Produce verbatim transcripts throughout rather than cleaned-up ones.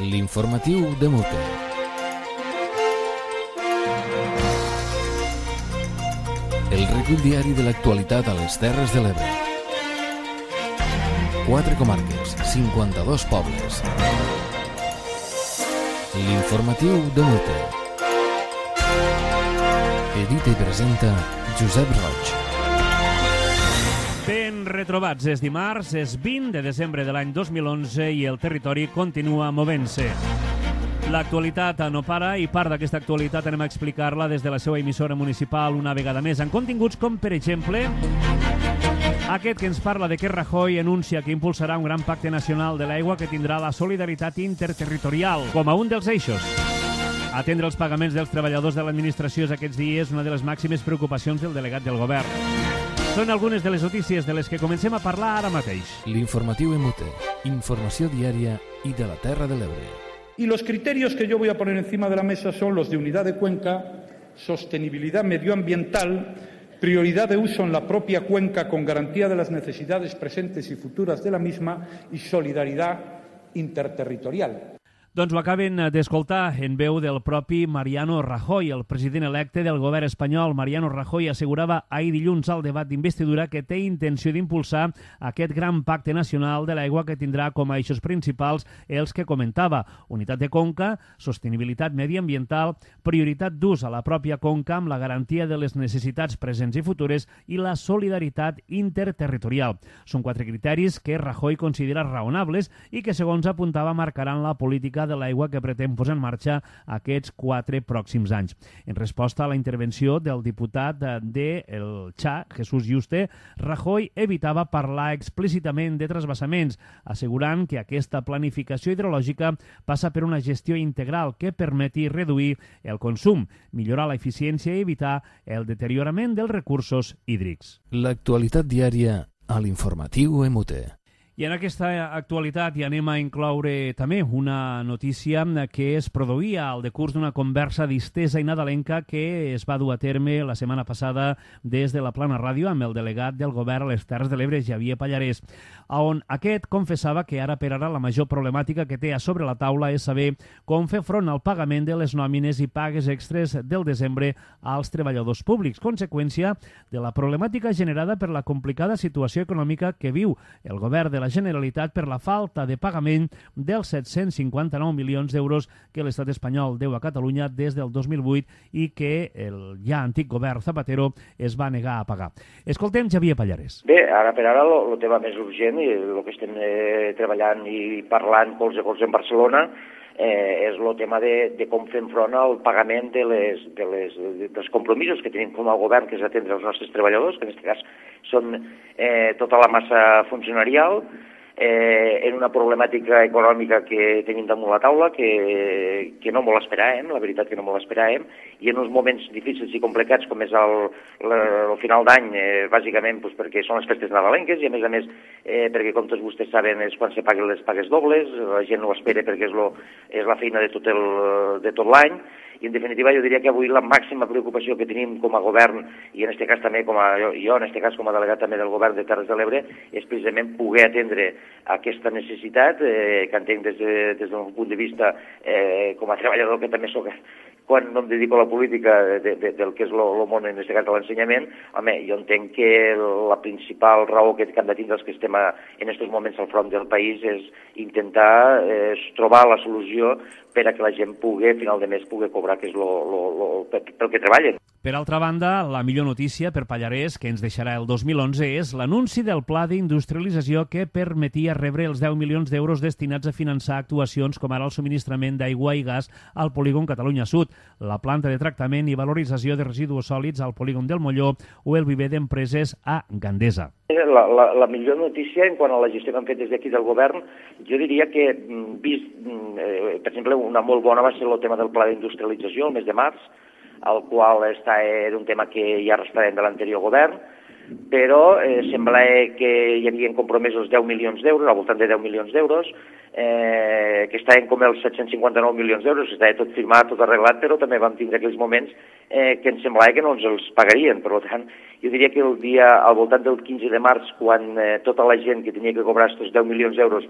L'informatiu de Mute. El recull diari de l'actualitat a les Terres de l'Ebre. Quatre comarques, cinquanta-dos pobles. L'informatiu de Mute. Edita i presenta Josep Roig. Ben retrobats, és dimarts, és vint de desembre de l'any dos mil onze i el territori continua movent-se. L'actualitat no para i part d'aquesta actualitat anem a explicar-la des de la seva emissora municipal una vegada més, en continguts com, per exemple, aquest que ens parla de que Rajoy anuncia que impulsarà un gran pacte nacional de l'aigua que tindrà la solidaritat interterritorial com a un dels eixos. Atendre els pagaments dels treballadors de l'administració aquests dies, una de les màximes preocupacions del delegat del govern. Són algunes de les notícies de les que comencem a parlar ara mateix. L'informatiu en Mute, informació diària i de la Terra de l'Ebre. Y los criterios que yo voy a poner encima de la mesa son los de unidad de cuenca, sostenibilidad medioambiental, prioridad de uso en la propia cuenca con garantía de las necesidades presentes y futuras de la misma y solidaridad interterritorial. Doncs ho acaben d'escoltar en veu del propi Mariano Rajoy, el president electe del govern espanyol. Mariano Rajoy assegurava ahir dilluns al debat d'investidura que té intenció d'impulsar aquest gran pacte nacional de l'aigua que tindrà com a eixos principals els que comentava: unitat de conca, sostenibilitat mediambiental, prioritat d'ús a la pròpia conca amb la garantia de les necessitats presents i futures i la solidaritat interterritorial. Són quatre criteris que Rajoy considera raonables i que, segons apuntava, marcaran la política de l'aigua que pretén posar en marxa aquests quatre pròxims anys. En resposta a la intervenció del diputat de el Txà, Jesús Yuste, Rajoy evitava parlar explícitament de transvasaments, assegurant que aquesta planificació hidrològica passa per una gestió integral que permeti reduir el consum, millorar l'eficiència i evitar el deteriorament dels recursos hídrics. L'actualitat diària a l'informatiu en Mute. I en aquesta actualitat hi anem a incloure també una notícia que es produïa al decurs d'una conversa distesa i nadalenca que es va dur a terme la setmana passada des de la Plana Ràdio amb el delegat del govern a les Terres de l'Ebre, Xavier Pallarès, on aquest confessava que ara per ara la major problemàtica que té a sobre la taula és saber com fer front al pagament de les nòmines i pagues extres del desembre als treballadors públics, conseqüència de la problemàtica generada per la complicada situació econòmica que viu el govern de la Generalitat per la falta de pagament dels set-cents cinquanta-nou milions d'euros que l'estat espanyol deu a Catalunya des del dos mil vuit i que el ja antic govern Zapatero es va negar a pagar. Escoltem Xavier Pallarès. Bé, ara per ara el tema més urgent i el que estem eh, treballant i parlant colze a colze en Barcelona eh, és el tema de, de com fem front al pagament de les, de les, de, dels compromisos que tenim com a govern, que és atendre els nostres treballadors, que en aquest cas són eh, tota la massa funcionarial, eh, en una problemàtica econòmica que tenim damunt la taula, que, que no molt esperàvem, la veritat que no molt esperàvem, i en uns moments difícils i complicats com és el, el, el final d'any, eh, bàsicament pues, perquè són les festes nadalenques i a més a més eh, perquè com tots vostès saben és quan se paguen les pagues dobles, la gent no ho espera perquè és, lo, és la feina de tot el, de tot l'any. I, en definitiva, jo diria que avui la màxima preocupació que tenim com a govern, i en aquest cas també com a jo, jo en aquest cas com a delegat també del govern de Terres de l'Ebre, és precisament poder atendre aquesta necessitat, eh, que entenc des, de, des d'un punt de vista eh, com a treballador que també soc quan no em dedico a la política de, de, del que és el món, en aquest cas de l'ensenyament. Home, jo entenc que la principal raó que han de tindre els que estem a, en aquests moments al front del país és intentar eh, trobar la solució per a que la gent pugui, a final de mes, pugui cobrar, que és lo, lo, lo, pel que treballen. Per altra banda, la millor notícia per Pallarès, que ens deixarà el dos mil onze, és l'anunci del pla d'industrialització que permetia rebre els deu milions d'euros destinats a finançar actuacions com ara el subministrament d'aigua i gas al polígon Catalunya Sud, la planta de tractament i valorització de residus sòlids al polígon del Molló o el viver d'empreses a Gandesa. La, la, la millor notícia en quant a la gestió que han fet des d'aquí del govern, jo diria que, vist, eh, per exemple, una molt bona va ser el tema del pla d'industrialització el mes de març, el qual està, era un tema que ja arrastràvem de l'anterior govern, però eh, sembla que hi havia compromesos deu milions d'euros, al voltant de deu milions d'euros, eh, que estaven com els set-cents cinquanta-nou milions d'euros, estava tot firmat, tot arreglat, però també vam tindre aquells moments eh, que ens semblava que no ens els pagarien. Per tant, jo diria que el dia, al voltant del quinze de març, quan eh, tota la gent que tenia que cobrar aquests deu milions d'euros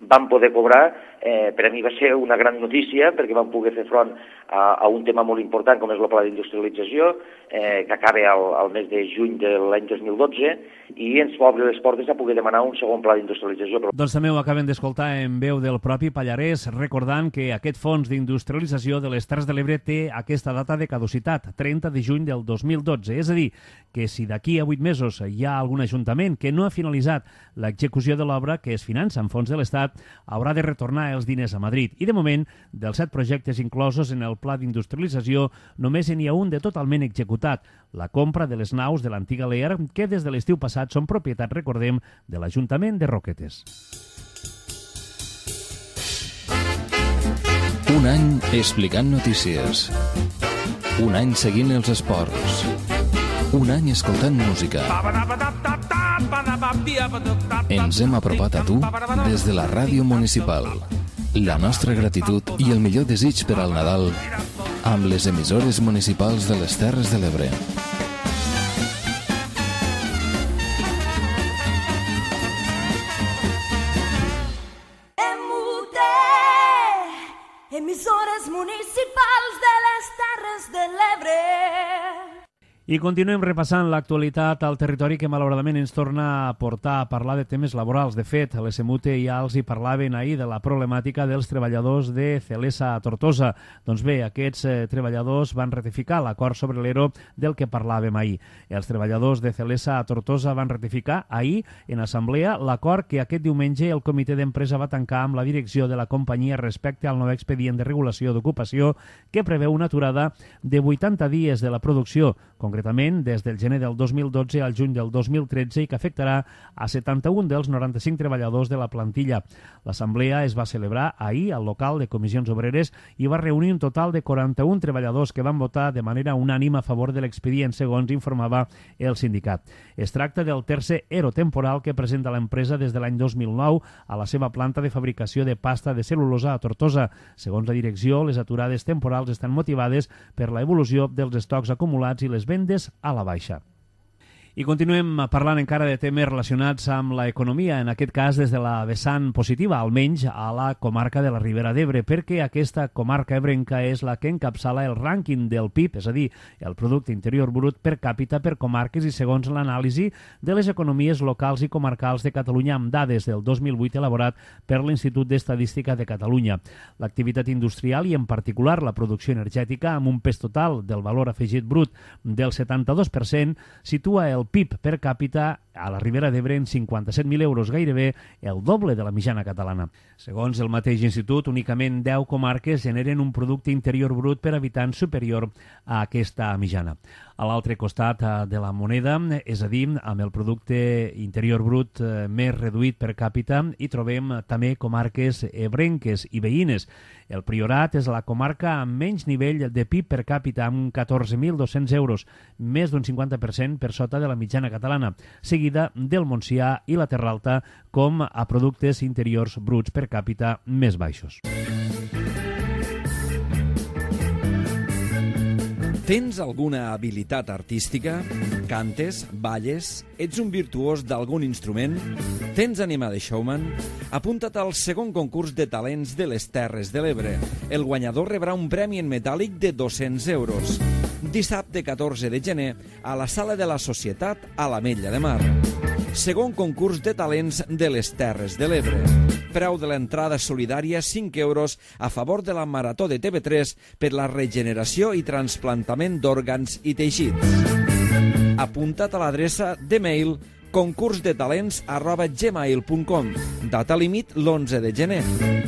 van poder cobrar. Eh, per a mi va ser una gran notícia perquè vam poder fer front a, a un tema molt important com és el pla d'industrialització, eh, que acaba al, al mes de juny de l'any dos mil dotze, i ens va obrir les portes a poder demanar un segon pla d'industrialització. Doncs també ho acabem d'escoltar en veu del propi Pallarès, recordant que aquest fons d'industrialització de les Terres de l'Ebre té aquesta data de caducitat, trenta de juny del dos mil dotze. És a dir, que si d'aquí a vuit mesos hi ha algun ajuntament que no ha finalitzat l'execució de l'obra que es finança amb fons de l'Estat, haurà de retornar els diners a Madrid. I de moment, dels set projectes inclosos en el pla d'industrialització, només n'hi ha un de totalment executat, la compra de les naus de l'antiga Lear, que des de l'estiu passat són propietat, recordem, de l'Ajuntament de Roquetes. Un any explicant notícies. Un any seguint els esports. Un any escoltant música. Ens hem apropat a tu des de la ràdio municipal. La nostra gratitud i el millor desig per al Nadal amb les emissores municipals de les Terres de l'Ebre. Emissores municipals de les Terres de l'Ebre. I continuem repassant l'actualitat al territori que malauradament ens torna a portar a parlar de temes laborals. De fet, l'S M U T ja els hi parlaven ahir de la problemàtica dels treballadors de Celesa a Tortosa. Doncs bé, aquests eh, treballadors van ratificar l'acord sobre l'E R O del que parlàvem ahir. Els treballadors de Celesa a Tortosa van ratificar ahir en assemblea l'acord que aquest diumenge el comitè d'empresa va tancar amb la direcció de la companyia respecte al nou expedient de regulació d'ocupació que preveu una aturada de vuitanta dies de la producció, concretament des del gener del dos mil dotze al juny del dos mil tretze, i que afectarà a setanta-un dels noranta-cinc treballadors de la plantilla. L'assemblea es va celebrar ahir al local de Comissions Obreres i va reunir un total de quaranta-un treballadors que van votar de manera unànime a favor de l'expedient, segons informava el sindicat. Es tracta del tercer E R O temporal que presenta l'empresa des de l'any dos mil nou a la seva planta de fabricació de pasta de cel·lulosa a Tortosa. Segons la direcció, les aturades temporals estan motivades per la evolució dels estocs acumulats i les vendes a la baixa. I continuem parlant encara de temes relacionats amb l'economia, en aquest cas des de la vessant positiva, almenys a la comarca de la Ribera d'Ebre, perquè aquesta comarca ebrenca és la que encapçala el rànquing del P I B, és a dir, el Producte Interior Brut per càpita per comarques i segons l'anàlisi de les economies locals i comarcals de Catalunya amb dades del dos mil vuit elaborat per l'Institut d'Estadística de Catalunya. L'activitat industrial i en particular la producció energètica amb un pes total del valor afegit brut del setanta-dos per cent situa el P I B per càpita a la Ribera d'Ebre en cinquanta-set mil euros, gairebé el doble de la mitjana catalana. Segons el mateix institut, únicament deu comarques generen un producte interior brut per habitant superior a aquesta mitjana. A l'altre costat de la moneda, és a dir, amb el producte interior brut més reduït per càpita, hi trobem també comarques ebrenques i veïnes. El Priorat és la comarca amb menys nivell de P I B per càpita, amb catorze mil dos-cents euros, més d'un cinquanta per cent per sota de la mitjana catalana, seguida del Montsià i la Terra Alta com a productes interiors bruts per càpita més baixos. Tens alguna habilitat artística? Cantes? Balles? Ets un virtuós d'algun instrument? Tens ànima de showman? Apunta't al segon concurs de talents de les Terres de l'Ebre. El guanyador rebrà un premi en metàl·lic de dos-cents euros. Dissabte catorze de gener a la Sala de la Societat a l'Ametlla de Mar. Segon concurs de talents de les Terres de l'Ebre. Preu de l'entrada solidària cinc euros a favor de la Marató de T V tres per la regeneració i trasplantament d'òrgans i teixits. Apunta't a l'adreça de mail concursdetalents arroba gmail punt com. Data límit l'onze de gener.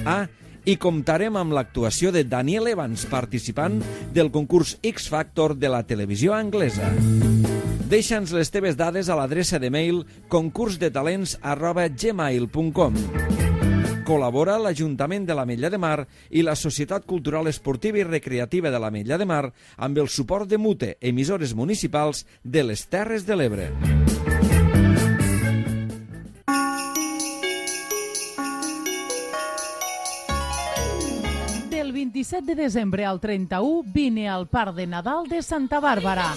Ah, i comptarem amb l'actuació de Daniel Evans, participant del concurs X Factor de la televisió anglesa. Deixa'ns les teves dades a l'adreça de mail concursdetalents arroba gmail punt com. Col·labora l'Ajuntament de l'Ametlla de Mar i la Societat Cultural Esportiva i Recreativa de l'Ametlla de Mar amb el suport de Mute, emissores municipals de les Terres de l'Ebre. Del vint-i-set de desembre al trenta-u vine al Parc de Nadal de Santa Bàrbara.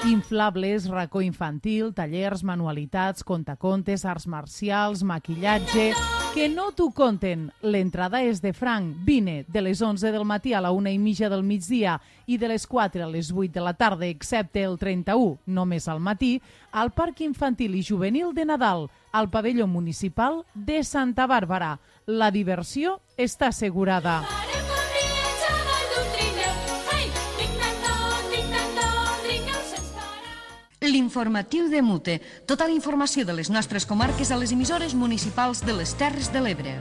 Inflables, racó infantil, tallers, manualitats, contacontes, arts marcials, maquillatge... Que no t'ho conten. L'entrada és de franc. Vine de les onze del matí a la una i mitja del migdia i de les quatre a les vuit de la tarda, excepte el trenta-u, només al matí, al Parc Infantil i Juvenil de Nadal, al pavelló municipal de Santa Bàrbara. La diversió està assegurada. L'informatiu de Mute. Tota la informació de les nostres comarques a les emissores municipals de les Terres de l'Ebre.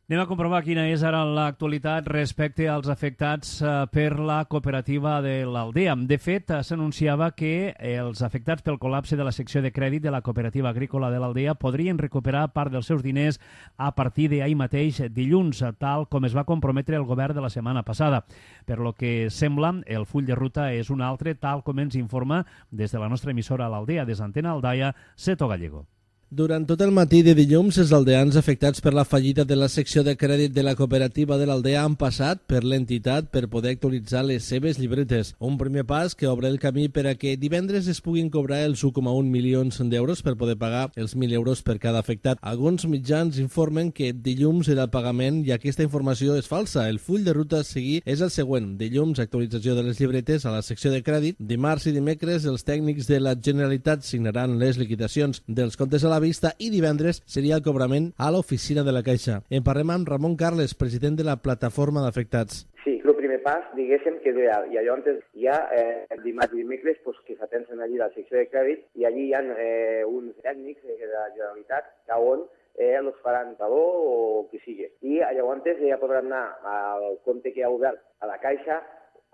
Anem a comprovar quina és ara l'actualitat respecte als afectats per la cooperativa de l'Aldea. De fet, s'anunciava que els afectats pel col·lapse de la secció de crèdit de la cooperativa agrícola de l'Aldea podrien recuperar part dels seus diners a partir d'ahir mateix dilluns, tal com es va comprometre el govern de la setmana passada. Per lo que sembla, el full de ruta és un altre, tal com ens informa des de la nostra emissora a l'Aldea, des d'Antena Aldaia, Seto Gallego. Durant tot el matí de dilluns, els aldeans afectats per la fallida de la secció de crèdit de la cooperativa de l'Aldea han passat per l'entitat per poder actualitzar les seves llibretes. Un primer pas que obre el camí per a que divendres es puguin cobrar els un coma un milions d'euros per poder pagar els mil euros per cada afectat. Alguns mitjans informen que dilluns era el pagament i aquesta informació és falsa. El full de ruta a seguir és el següent. Dilluns, actualització de les llibretes a la secció de crèdit. Dimarts i dimecres, els tècnics de la Generalitat signaran les liquidacions dels comptes a la vista i divendres seria el cobrament a l'oficina de la Caixa. En parlem amb Ramon Carles, president de la plataforma d'afectats. Sí, el primer pas, diguéssim, que és i allò antes hi ha eh, dimarts i dimecres pues, que s'atensen allí a la secció de crèdit i allí hi ha eh, uns tècnics de la Generalitat que on eh, els faran taló o qui sigui. I llavors ja podran anar al compte que ha obert a la Caixa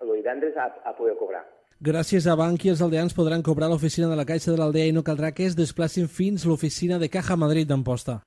el divendres a, a poder cobrar. Gràcies a Bankia, els aldeans podran cobrar a l'oficina de la Caixa de l'Aldea i no caldrà que es desplacin fins a l'oficina de Caja Madrid d'Amposta.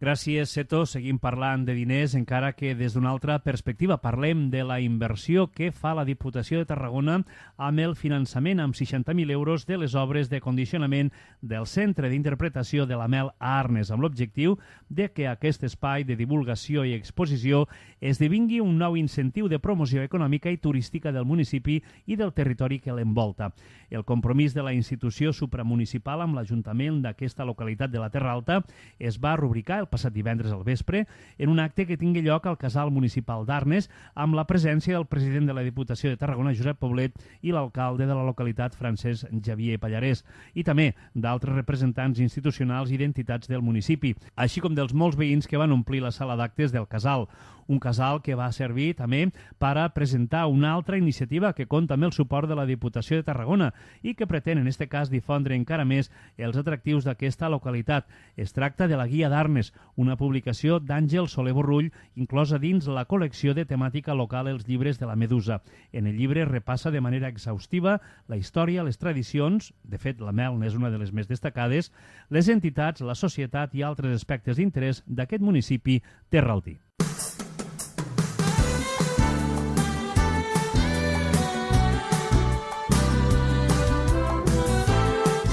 Gràcies, Seto. Seguim parlant de diners, encara que des d'una altra perspectiva. Parlem de la inversió que fa la Diputació de Tarragona amb el finançament amb seixanta mil euros de les obres de condicionament del Centre d'Interpretació de la Mel a Arnes, amb l'objectiu de que aquest espai de divulgació i exposició esdevingui un nou incentiu de promoció econòmica i turística del municipi i del territori que l'envolta. El compromís de la institució supramunicipal amb l'Ajuntament d'aquesta localitat de la Terra Alta es va rubricar el passat divendres al vespre en un acte que tingui lloc al Casal Municipal d'Arnes amb la presència del president de la Diputació de Tarragona, Josep Poblet, i l'alcalde de la localitat, Francesc Xavier Pallarès, i també d'altres representants institucionals i d'entitats del municipi, així com dels molts veïns que van omplir la sala d'actes del casal. Un casal que va servir també per a presentar una altra iniciativa que compta amb el suport de la Diputació de Tarragona i que pretén, en aquest cas, difondre encara més els atractius d'aquesta localitat. Es tracta de la Guia d'Arnes, una publicació d'Àngel Soler Borrull, inclosa dins la col·lecció de temàtica local Els llibres de la Medusa. En el llibre repassa de manera exhaustiva la història, les tradicions, de fet la Mel n'és una de les més destacades, les entitats, la societat i altres aspectes d'interès d'aquest municipi terraltí.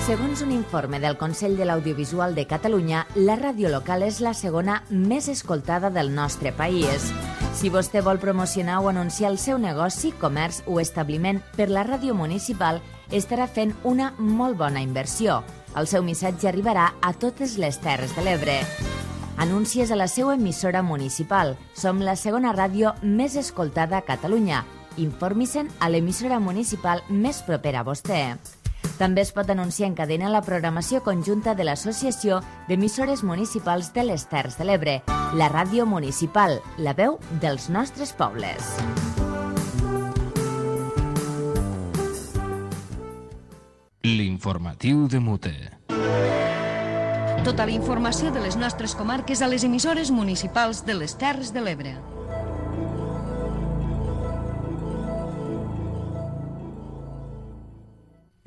Segons un informe del Consell de l'Audiovisual de Catalunya, la ràdio local és la segona més escoltada del nostre país. Si vostè vol promocionar o anunciar el seu negoci, comerç o establiment per la ràdio municipal, estarà fent una molt bona inversió. El seu missatge arribarà a totes les Terres de l'Ebre. Anuncies a la seva emissora municipal. Som la segona ràdio més escoltada a Catalunya. Informi-se'n a l'emissora municipal més propera a vostè. També es pot anunciar en cadena la programació conjunta de l'Associació d'Emissores Municipals de les Terres de l'Ebre, la ràdio municipal, la veu dels nostres pobles. L'informatiu de Mute. Tota la informació de les nostres comarques a les emissores municipals de les Terres de l'Ebre.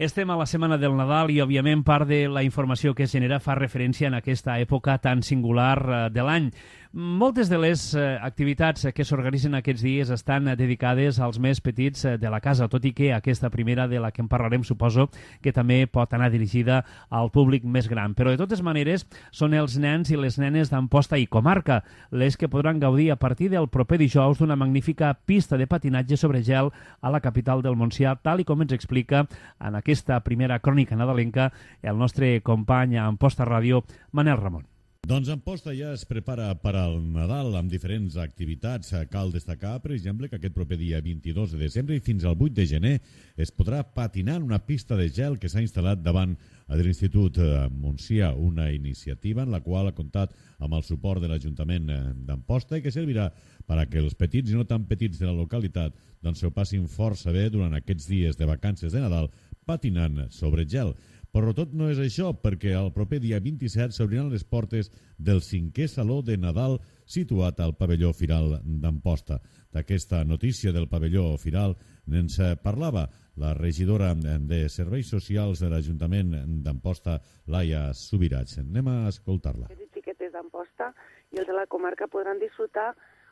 Estem a la setmana del Nadal i, òbviament, part de la informació que es genera fa referència en aquesta època tan singular de l'any. Moltes de les eh, activitats que s'organitzen aquests dies estan dedicades als més petits de la casa, tot i que aquesta primera de la que en parlarem suposo que també pot anar dirigida al públic més gran. Però de totes maneres són els nens i les nenes d'Amposta i comarca les que podran gaudir a partir del proper dijous d'una magnífica pista de patinatge sobre gel a la capital del Montsià, tal i com ens explica en aquesta primera crònica nadalenca el nostre company a Amposta Ràdio, Manel Ramon. Doncs Amposta ja es prepara per al Nadal amb diferents activitats. Cal destacar, per exemple, que aquest proper dia vint-i-dos de desembre i fins al vuit de gener es podrà patinar en una pista de gel que s'ha instal·lat davant de l'Institut Montsià, una iniciativa en la qual ha comptat amb el suport de l'Ajuntament d'Amposta i que servirà per a que els petits i no tan petits de la localitat doncs s'ho passin força bé durant aquests dies de vacances de Nadal patinant sobre gel. Però tot no és això, perquè el proper dia vint-i-set s'obriran les portes del cinquè Saló de Nadal situat al pavelló Firal d'Amposta. D'aquesta notícia del pavelló Firal ens parlava la regidora de Serveis Socials de l'Ajuntament d'Amposta, Laia Subirats. Anem a escoltar-la. Els xiquetes d'Amposta i els de la comarca podran disfrutar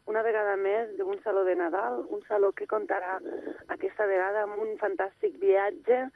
una vegada més d'un Saló de Nadal, un saló que comptarà aquesta vegada amb un fantàstic viatge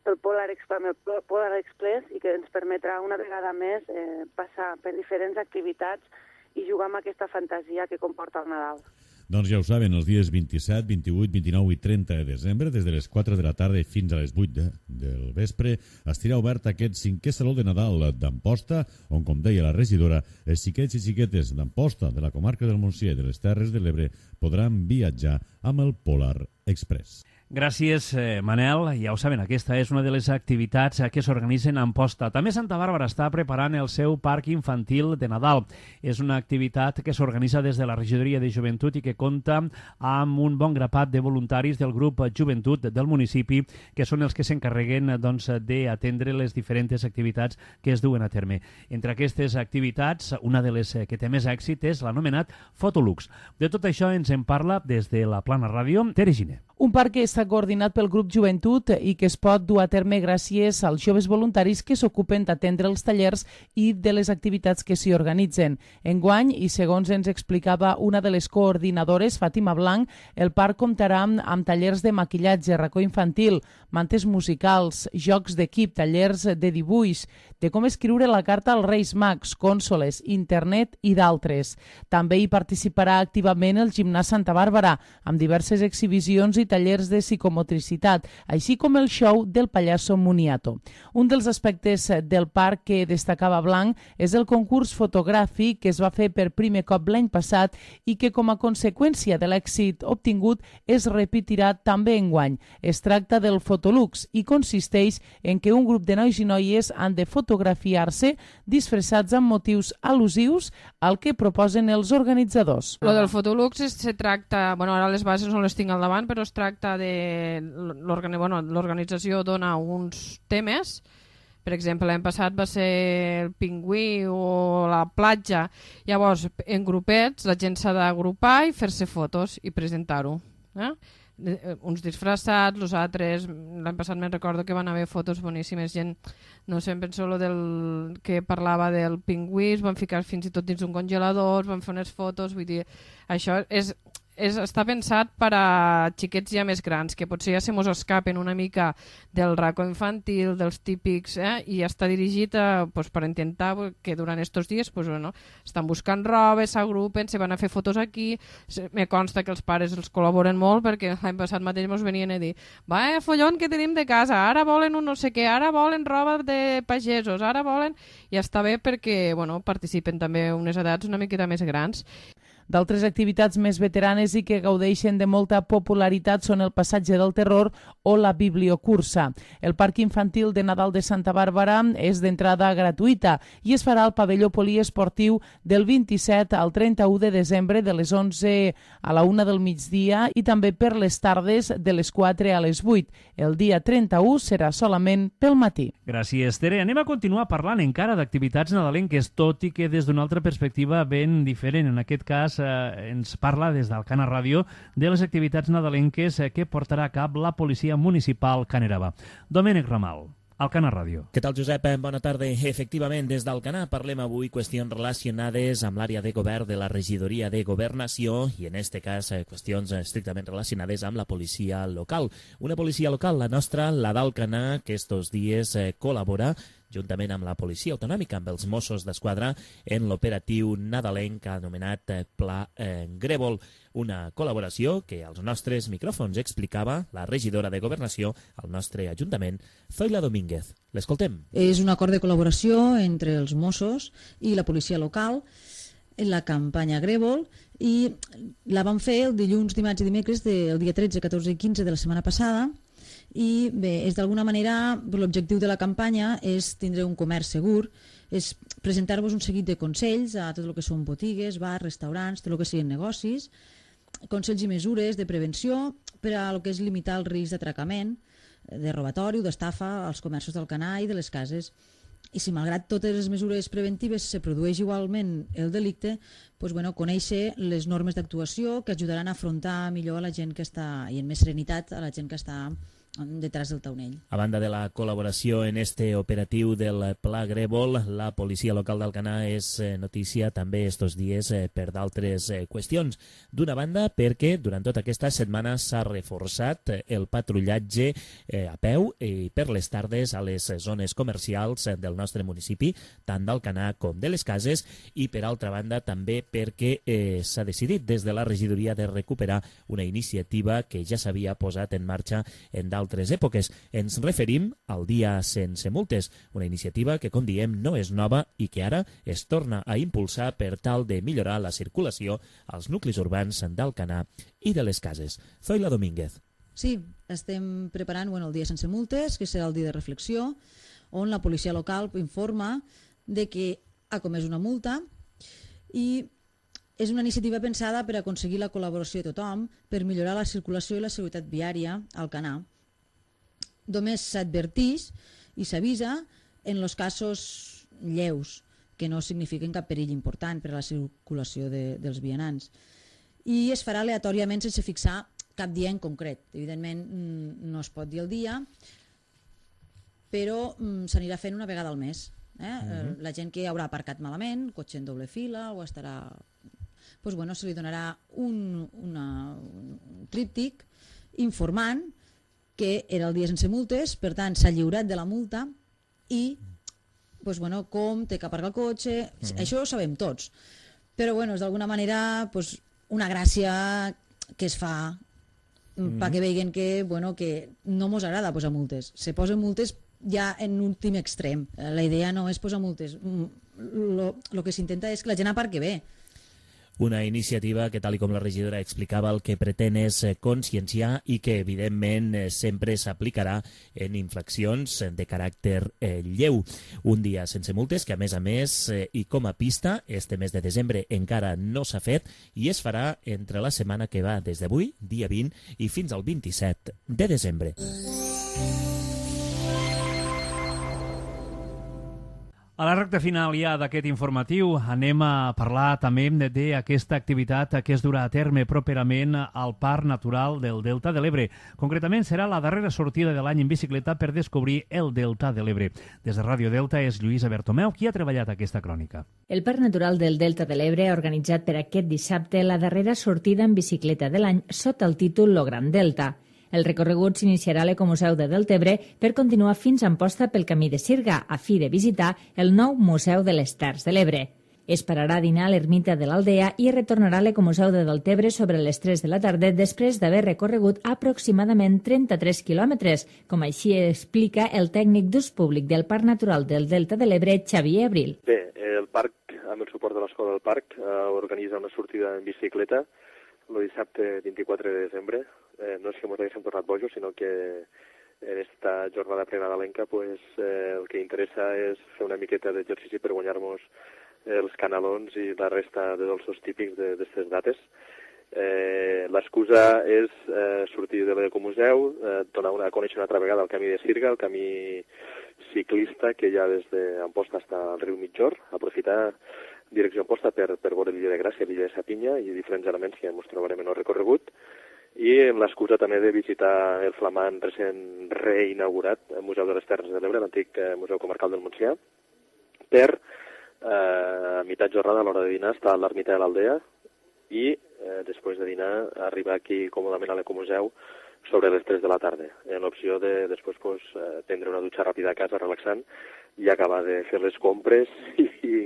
pel Polar Express, el Polar Express i que ens permetrà una vegada més eh, passar per diferents activitats i jugar amb aquesta fantasia que comporta el Nadal. Doncs ja ho saben, els dies vint-i-set, vint-i-vuit, vint-i-nou i trenta de desembre, des de les quatre de la tarda fins a les vuit de, del vespre, estirà obert aquest cinquè Saló de Nadal d'Amposta, on, com deia la regidora, els xiquets i xiquetes d'Amposta, de la comarca del Montsià i de les Terres de l'Ebre, podran viatjar amb el Polar Express. Gràcies, eh, Manel. Ja ho saben, aquesta és una de les activitats que s'organitzen a Amposta. També Santa Bàrbara està preparant el seu parc infantil de Nadal. És una activitat que s'organitza des de la Regidoria de Joventut i que compta amb un bon grapat de voluntaris del grup Joventut del municipi, que són els que s'encarreguen doncs, d'atendre les diferents activitats que es duen a terme. Entre aquestes activitats, una de les que té més èxit és l'anomenat Fotolux. De tot això ens en parla des de la Plana Ràdio, Tere Giner. Un parc que està coordinat pel grup Joventut i que es pot dur a terme gràcies als joves voluntaris que s'ocupen d'atendre els tallers i de les activitats que s'hi organitzen. Enguany, i segons ens explicava una de les coordinadores, Fàtima Blanc, el parc comptarà amb, amb tallers de maquillatge, racó infantil, mantes musicals, jocs d'equip, tallers de dibuix, de com escriure la carta als Reis Mags, cònsoles, internet i d'altres. També hi participarà activament el Gimnàs Santa Bàrbara, amb diverses exhibicions i tallers de psicomotricitat, així com el show del pallasso Moniato. Un dels aspectes del parc que destacava Blanc és el concurs fotogràfic que es va fer per primer cop l'any passat i que com a conseqüència de l'èxit obtingut es repetirà també enguany. Es tracta del Fotolux i consisteix en que un grup de nois i noies han de fotografiar-se disfressats amb motius al·lusius al que proposen els organitzadors. Lo del Fotolux es, se tracta, bueno, ara les bases no les tinc al davant, però es tracta de l'organització dona uns temes. Per exemple, l'any passat va ser el pingüí o la platja. Llavors, en grupets, la gent s'ha d'agrupar i fer-se fotos i presentar-ho. Eh? Uns disfressats, els altres, l'any passat me'n recordo que van haver fotos boníssimes, gent, no sé, em penso lo del que parlava del pingüí, es van ficar fins i tot dins un congelador, van fer unes fotos, vull dir, això és... És, està pensat per a xiquets ja més grans, que potser ja se mos escapen una mica del racó infantil, dels típics, eh? I està dirigit a, pues, per intentar que durant estos dies pues, bueno, estan buscant roba, s'agrupen, se van a fer fotos aquí. Me consta que els pares els col·laboren molt perquè l'any passat mateix ens venien a dir va, eh, follon que tenim de casa, ara volen un no sé què, ara volen roba de pagesos, ara volen... I està bé perquè bueno, participen també unes edats una miqueta més grans. D'altres activitats més veteranes i que gaudeixen de molta popularitat són el Passatge del Terror o la Bibliocursa. El Parc Infantil de Nadal de Santa Bàrbara és d'entrada gratuïta i es farà al pavelló poliesportiu del vint-i-set al trenta-u de desembre de les onze a la una del migdia i també per les tardes de les quatre a les vuit. El dia trenta-u serà solament pel matí. Gràcies, Tere. Anem a continuar parlant encara d'activitats nadalenques, tot i que des d'una altra perspectiva ben diferent. En aquest cas, Eh, ens parla des d'Alcana Ràdio de les activitats nadalenques eh, que portarà a cap la policia municipal Caneraba. Domènec Ramal. Alcanar Ràdio. Què tal, Josep? Bona tarda. Efectivament, des d'Alcanar parlem avui qüestions relacionades amb l'àrea de govern de la regidoria de governació i, en este cas, qüestions estrictament relacionades amb la policia local. Una policia local, la nostra, la d'Alcanar, que estos dies col·labora juntament amb la policia autonòmica, amb els Mossos d'Esquadra, en l'operatiu nadalenc anomenat Pla eh, Grèvol. Una col·laboració que als nostres micròfons explicava la regidora de Governació al nostre Ajuntament, Zoila Domínguez. L'escoltem. És un acord de col·laboració entre els Mossos i la policia local en la campanya Grèvol i la vam fer el dilluns, dimarts i dimecres del dia tretze, catorze i quinze de la setmana passada. I bé, és d'alguna manera, l'objectiu de la campanya és tindre un comerç segur, és presentar-vos un seguit de consells a tot el que són botigues, bars, restaurants, tot el que siguin negocis, consells i mesures de prevenció per a el que és limitar el risc d'atracament, de robatori o d'estafa als comerços d'Alcanar i de les cases. I si malgrat totes les mesures preventives se produeix igualment el delicte, doncs, bueno, conèixer les normes d'actuació que ajudaran a afrontar millor a la gent que està, i amb més serenitat a la gent que està detrás del taulell. A banda de la col·laboració en este operatiu del Pla Grèvol, la policia local d'Alcanar és notícia també estos dies per d'altres qüestions. D'una banda, perquè durant tota aquesta setmana s'ha reforçat el patrullatge a peu i per les tardes a les zones comercials del nostre municipi, tant d'Alcanar com de les Cases, i per altra banda també perquè eh, s'ha decidit des de la regidoria de recuperar una iniciativa que ja s'havia posat en marxa en d'altres altres èpoques. Ens referim al Dia Sense Multes, una iniciativa que, com diem, no és nova i que ara es torna a impulsar per tal de millorar la circulació als nuclis urbans d'Alcanar i de les Cases. Zoila Domínguez. Sí, estem preparant bueno, el Dia Sense Multes, que serà el dia de reflexió, on la policia local informa de que ha comès una multa i és una iniciativa pensada per aconseguir la col·laboració de tothom per millorar la circulació i la seguretat viària a Alcanar. Només s'adverteix i s'avisa en els casos lleus, que no signifiquen cap perill important per a la circulació de, dels vianants. I es farà aleatòriament sense fixar cap dia en concret. Evidentment no es pot dir el dia, però s'anirà fent una vegada al mes. Eh? Uh-huh. La gent que haurà aparcat malament, cotxe en doble fila, o estarà... Pues bueno, se li donarà un, una, un tríptic informant que era el dia sense multes, per tant s'ha lliurat de la multa i pues bueno, com té que aparcar el cotxe, uh-huh. Això ho sabem tots, però bueno, és d'alguna manera pues, una gràcia que es fa uh-huh. perquè veien que, bueno, que no mos agrada posar multes, se posen multes ja en últim extrem, la idea no és posar multes, el que s'intenta és que la gent aparqui bé. Una iniciativa que, tal com la regidora explicava, el que pretén és conscienciar i que, evidentment, sempre s'aplicarà en infraccions de caràcter eh, lleu. Un dia sense multes que, a més a més, eh, i com a pista, este mes de desembre encara no s'ha fet i es farà entre la setmana que va des d'avui, dia vint, i fins al vint-i-set de desembre. A la recta final ja d'aquest informatiu anem a parlar també d'aquesta activitat que es durà a terme properament al Parc Natural del Delta de l'Ebre. Concretament serà la darrera sortida de l'any en bicicleta per descobrir el Delta de l'Ebre. Des de Ràdio Delta és Lluïsa Bertomeu qui ha treballat aquesta crònica. El Parc Natural del Delta de l'Ebre ha organitzat per aquest dissabte la darrera sortida en bicicleta de l'any sota el títol Lo Gran Delta. El recorregut s'iniciarà a l'Ecomuseu de Deltebre per continuar fins a Amposta pel camí de Sirga, a fi de visitar el nou Museu de les Terres de l'Ebre. Es pararà a dinar a l'ermita de l'Aldea i retornarà a l'Ecomuseu de Deltebre sobre les tres de la tarda després d'haver recorregut aproximadament trenta-tres quilòmetres, com així explica el tècnic d'ús públic del Parc Natural del Delta de l'Ebre, Xavier Abril. Bé, el parc, amb el suport de l'Escola del Parc, eh, organitza una sortida en bicicleta el dissabte vint-i-quatre de desembre. Eh, no és que ens haguéssim tornat bojos, sinó que en esta jornada prenadalenca pues, eh, el que interessa és fer una miqueta d'exercici per guanyar-nos els canalons i la resta de dolços típics d'aquestes dates. Eh, L'excusa és eh, sortir de l'Ecomuseu, eh, donar una, conèixer una altra vegada el camí de Sirga, el camí ciclista que hi ha des d'Amposta fins al riu Mitjor, aprofitar direcció Amposta per, per veure l'illa de Gràcia, l'illa de Sapinya i diferents elements que ens trobarem en el recorregut. i amb l'excusa també de visitar el flamant recent reinaugurat Museu de les Terres de l'Ebre, l'antic Museu Comarcal del Montsià, per eh, a meitat jornada a l'hora de dinar estar a l'ermita de l'Aldea i eh, després de dinar arribar aquí còmodament a l'Ecomuseu sobre les tres de la tarda, en l'opció de després pues, eh, prendre una dutxa ràpida a casa relaxant i acabar de fer les compres i, i,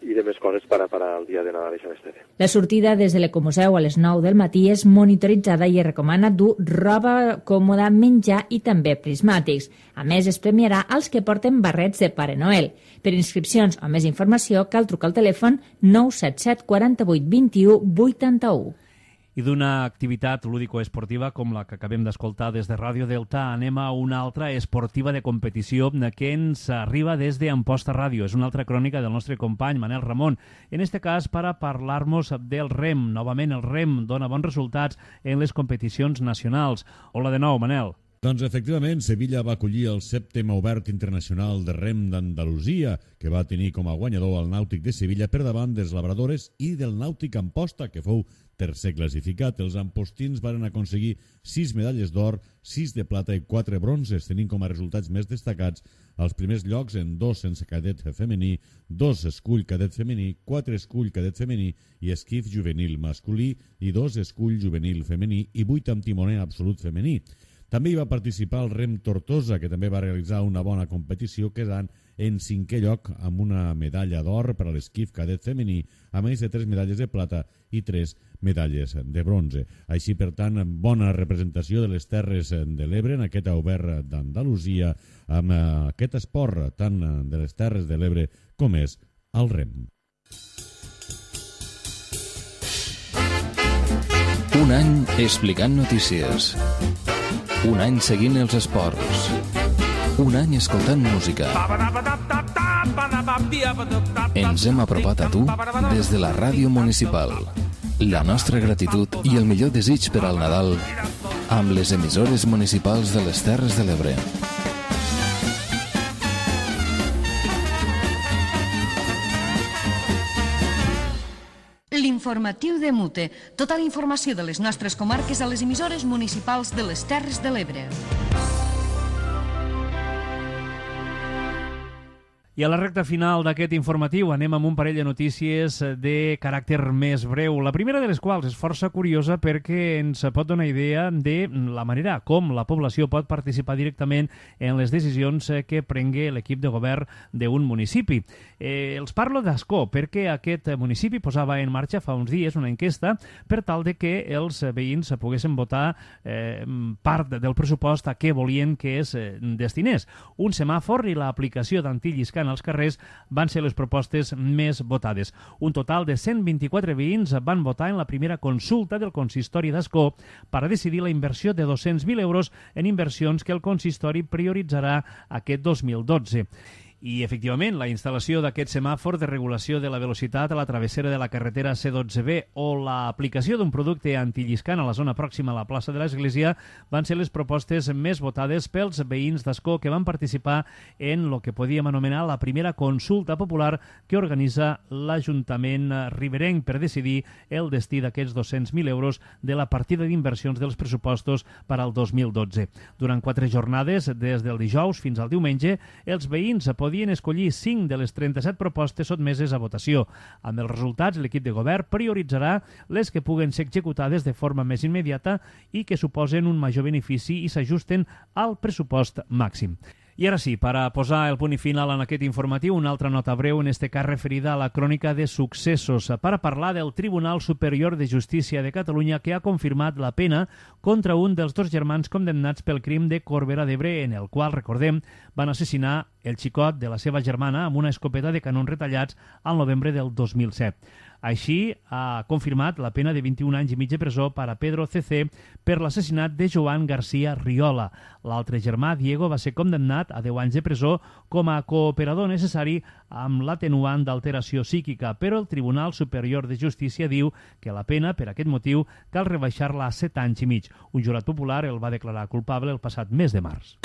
i de més coses per a parar el dia de Nadal i Sant Esteve. La sortida des de l'Ecomuseu a les nou del matí és monitoritzada i es recomana dur roba còmoda, menjar i també prismàtics. A més, es premiarà els que porten barrets de Pare Noel. Per inscripcions o més informació cal trucar al telèfon nou set set quaranta-vuit vint-i-u vuitanta-u. I d'una activitat lúdico-esportiva com la que acabem d'escoltar des de Ràdio Delta, anem a una altra esportiva de competició que ens arriba des d'Amposta Ràdio. És una altra crònica del nostre company Manel Ramon. En este cas, per a parlar-nos del rem. Novament, el rem dona bons resultats en les competicions nacionals. Hola de nou, Manel. Doncs efectivament, Sevilla va acollir el sèptim Obert Internacional de Rem d'Andalusia, que va tenir com a guanyador el Nàutic de Sevilla per davant dels Labradores i del Nàutic Amposta, que fou tercer classificat. Els ampostins van aconseguir sis medalles d'or, sis de plata i quatre bronzes, tenint com a resultats més destacats els primers llocs en dos sense cadet femení, dos escull cadet femení, quatre escull cadet femení i esquif juvenil masculí i dos escull juvenil femení i vuit amb timoner absolut femení. També hi va participar el Rem Tortosa, que també va realitzar una bona competició, quedant en cinquè lloc amb una medalla d'or per a l'esquif cadet femení, a més de tres medalles de plata i tres medalles de bronze. Així, per tant, bona representació de les Terres de l'Ebre en aquest Obert d'Andalusia, amb aquest esport tant de les Terres de l'Ebre com és el rem. Un any explicant notícies. Un any seguint els esports. Un any escoltant música. Ens hem apropat a tu des de la ràdio municipal. La nostra gratitud i el millor desig per al Nadal amb les emissores municipals de les Terres de l'Ebre. L'informatiu de Mute. Tota la informació de les nostres comarques a les emissores municipals de les Terres de l'Ebre. I a la recta final d'aquest informatiu anem amb un parell de notícies de caràcter més breu. La primera de les quals és força curiosa perquè ens pot donar idea de la manera com la població pot participar directament en les decisions que prengui l'equip de govern d'un municipi. Eh, els parlo d'Ascó perquè aquest municipi posava en marxa fa uns dies una enquesta per tal de que els veïns poguessin votar eh, part del pressupost a què volien que es destinés. Un semàfor i l'aplicació d'antilliscant als carrers van ser les propostes més votades. Un total de cent vint-i-quatre veïns van votar en la primera consulta del consistori d'Ascó per a decidir la inversió de dos-cents mil euros en inversions que el consistori prioritzarà aquest dos mil dotze. I, efectivament, la instal·lació d'aquest semàfor de regulació de la velocitat a la travessera de la carretera C dotze B o l'aplicació d'un producte antilliscant a la zona pròxima a la plaça de l'Església van ser les propostes més votades pels veïns d'Ascó que van participar en el que podíem anomenar la primera consulta popular que organitza l'Ajuntament riberenc per decidir el destí d'aquests dos-cents mil euros de la partida d'inversions dels pressupostos per al dos mil dotze. Durant quatre jornades, des del dijous fins al diumenge, els veïns podien escollir cinc de les trenta-set propostes sotmeses a votació. Amb els resultats, l'equip de govern prioritzarà les que puguen ser executades de forma més immediata i que suposen un major benefici i s'ajusten al pressupost màxim. I ara sí, per a posar el punt i final en aquest informatiu, una altra nota breu, en este cas referida a la crònica de successos, per a parlar del Tribunal Superior de Justícia de Catalunya que ha confirmat la pena contra un dels dos germans condemnats pel crim de Corbera d'Ebre, en el qual, recordem, van assassinar el xicot de la seva germana amb una escopeta de canons retallats al novembre del dos mil set. Així, ha confirmat la pena de vint-i-un anys i mig de presó per a Pedro C C per l'assassinat de Joan García Riola. L'altre germà, Diego, va ser condemnat a deu anys de presó com a cooperador necessari amb l'atenuant d'alteració psíquica, però el Tribunal Superior de Justícia diu que la pena, per aquest motiu, cal rebaixar-la a set anys i mig. Un jurat popular el va declarar culpable el passat mes de març.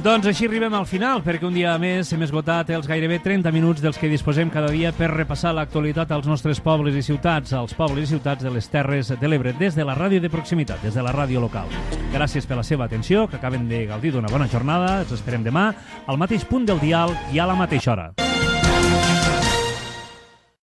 Doncs així arribem al final, perquè un dia més hem esgotat els gairebé trenta minuts dels que disposem cada dia per repassar l'actualitat als nostres pobles i ciutats, als pobles i ciutats de les Terres de l'Ebre, des de la ràdio de proximitat, des de la ràdio local. Gràcies per la seva atenció, que acaben de gaudir d'una bona jornada. Els esperem demà al mateix punt del dial i a la mateixa hora.